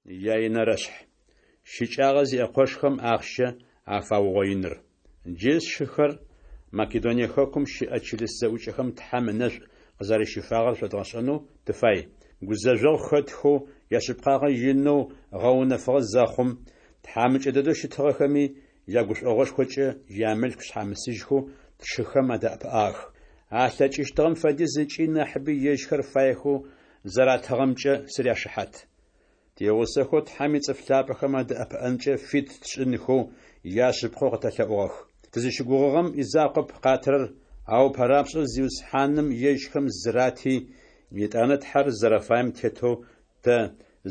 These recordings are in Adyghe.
Яинэрэшъхь. Щыкӏагъэ зиӏэ къошхэм ахъщэ афаугъоиныр. Джы, сшыхэр, Македоние хэкум щыӏэ чылыс зэӏукӏэхэм Тхьэм ынэшӏу къызэрэщифагъэр шъодгъэшӏэнэу тыфай. Гузэжъогъу хэтхэу, яшъыпкъагъэ инэу гъэунэфыгъэ зэхъум, тхьамыкӏэ дэдэу щытыгъэхэми, ягушӏогъошхокӏэ ямылъку шъхьамысыжьхэу тшыхэм адэӏэпыӏагъэх. Алъэкӏыщтыгъэм фэдиз ыкӏи нахьыби ежьхэр фаехэу зэратыгъэмкӏэ сыряшыхьат. Тигъусэхэу Тхьэм ицӏыф лъапӏэхэм адэӏэпыӏэнкӏэ фит тшӏынхэу яшъыпкъэу къытэлъэӏугъэх. Тызыщыгугъыгъэм изакъоп къатырэр, ау ыпэрапшӏэу Зиусхьаным ежьхэм зырати, етӏанэ Тхьэр зэрэфаем тетэу тэ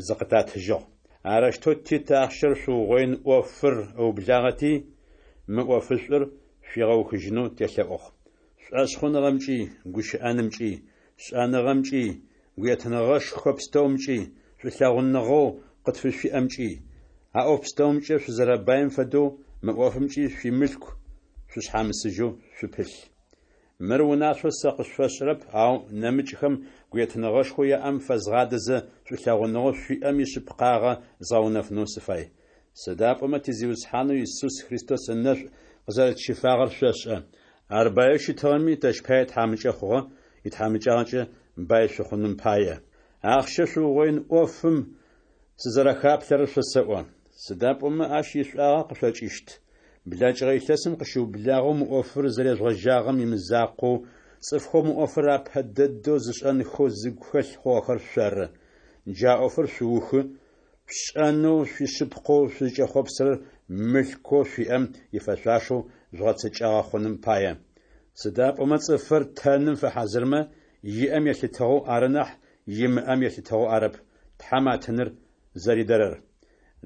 зыкъытатыжьыгъ. Арэущтэу Тит ахъщэр шъуугъоин ӏофыр ыублагъэти, мы ӏофышӏур шъуигъэухыжьынэу телъэӏугъ. Шӏошъхъуныгъэмкӏи, гущыӏэнымкӏи, шӏэныгъэмкӏи, гуетыныгъэшхо пстэумкӏи, шӏулъэгъуныгъэу къытфышъуиӏэмкӏи. А ӏоф пстэумкӏэ шъузэрэбаим фэдэу, мы ӏофымкӏи шъуимылъку шъушъхьамысыжьэу шъупылъ. Мыр унашъоу сэ къышъуфэсшӏырэп, ау нэмыкӏхэм гуетыныгъэшхоу яӏэм фэзгъадэзэ, шӏулъэгъуныгъэу шъуиӏэм ишъыпкъагъэ згъэунэфынэу сыфай. Сыда пӏомэ ти Зиусхьанэу Исус Христос ынэшӏу къызэрэтщифагъэр шъошӏэ. Ар баеу щытыгъэми, тэщ пае тхьамыкӏэ хъугъэ, итхьамыкӏагъэкӏэ бай шъухъуным пае. Ахъщэ шъуугъоин ӏофым сызэрэхаплъэрэр шъосэӏо. Сыда пӏомэ ащ ишӏуагъэ къышъокӏыщт. Блэкӏыгъэ илъэсым къыщыублагъэу мы ӏофыр зэрежъугъэжьагъэм имызакъоу, цӏыфхэу мы ӏофыр апэ дэдэу зышӏэнхэу зыгу хэлъ хъугъэхэр шъоры. Джа ӏофыр шъуухы, шъушӏэнэу шъуишъыпкъэу шъузкӏэхъопсырэр мылъкоу шъуиӏэм ифэшъуашэу жъугъэцэкӏагъэ хъуным пае. Сыда пӏомэ цӏыфыр тэным фэхьазырмэ, иӏэм елъытыгъэу ары нахь, имыӏэм елъытыгъэу арэп Тхьэм а тыныр зэридэрэр.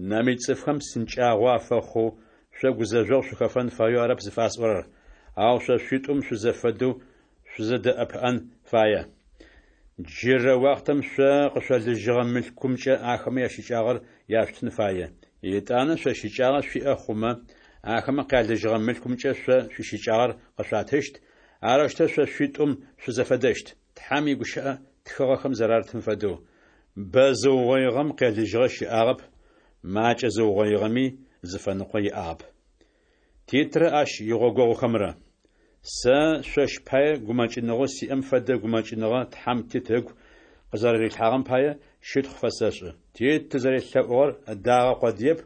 Нэмыкӏ цӏыфхэм псынкӏагъо афэхъоу, шъо гузэжъогъу шъухэфэн фаеу арэп зыфасӏорэр, ау шъо шъуитӏум шъузэфэдэу шъузэдэӏэпыӏэн фае. Джырэ уахътэм шъо къышъолыжьыгъэ мылъкумкӏэ ахэмэ ящыкӏагъэр яшъутын фае. Етӏанэ шъо щыкӏагъэ шъуиӏэ хъумэ, ахэмэ къялыжьыгъэ мылъкумкӏэ шъо шъуищыкӏагъэр къышъуатыщт, арэущтэу шъо шъуитӏум шъузэфэдэщт. Тхьэм игущыӏэ тхыгъэхэм зэрарытым фэдэу, Бэ зыугъоигъэм къелыжьыгъэ щыӏагъэп, макӏэ зыугъоигъэми зыфэныкъо иӏагъэп. Титрэ ащ игъогогъухэмрэ. Сэ шъощ пае гумэкӏыныгъэу сиӏэм фэдэ гумэкӏыныгъэ Тхьэм Тит ыгу къызэрэрилъхьагъэм пае щытхъу фэсэшӏы. Тит тызэрелъэӏугъэр ыдагъэ къодыеп,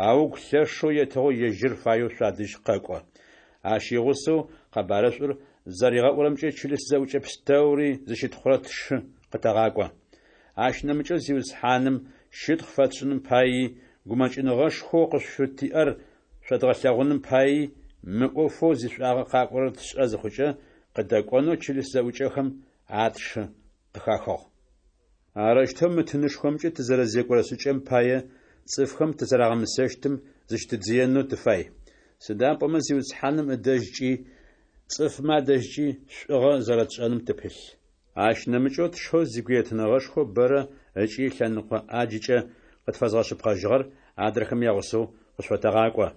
ау ыгу лъэшэу етыгъэу ежьыр фаеу шъуадэжь къэкӏо. Ащ игъусэу къэбарышӏур зэригъэӏурэмкӏэ чылыс зэӏукӏэ пстэури зыщытхъурэ тшы къытэгъакӏо. Ащ нэмыкӏэу Зиусхьаным щытхъу фэтшӏыным паий, гумэкӏыныгъэшхоу къышъуфытиӏэр шъодгъэлъэгъуным паий, мы ӏофэу зишӏуагъэ къакӏорэр тшӏэ зыхъукӏэ, къыдэкӏонэу чылыс зэӏукӏэхэм а тшы къыхахыгъ. Арэущтэу мы тынышхомкӏэ тызэрэзекӏорэ шӏыкӏэм пае цӏыфхэм тызэрагъэмысэщтым зыщытыдзыенэу тыфай. Сыда пӏомэ Зиусхьаным ыдэжькӏи цӏыфмэ адэжькӏи шӏугъэ зэрэтшӏэным тыпылъ. Ащ нэмыкӏэу тшэу зигуетыныгъэшхо бэрэ ыкӏи лъэныкъо ӏаджыкӏэ къытфэзгъэшъыпкъэжьыгъэр адрэхэм ягъусэу къышъуфэтэгъакӏо.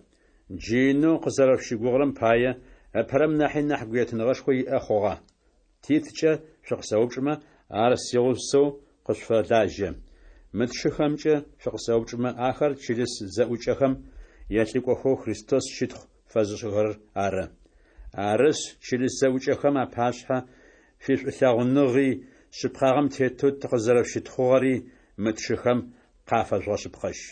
Джы инэу къызэрэшъущыгугъырэм пае, ыпэрэм нахьи нахь гуетыныгъэшхо иӏэ хъугъэ. Титкӏэ шъукъысэупчӏымэ, ар сигъусэу къышъуфэлажьэ. Мы тшыхэмкӏэ шъукъысэупчӏымэ, ахэр чылыс зэӏукӏэхэм ялӏыкӏохэу Христос щытхъу фэзышӏыхэрэр ары. Арышъ, чылыс зэӏукӏэхэм апашъхьэ шъуишӏулъэгъуныгъи, шъыпкъагъэм тетэу тыкъызэрэшъущытхъугъэри мы тшыхэм къафэжъугъэшъыпкъэжь.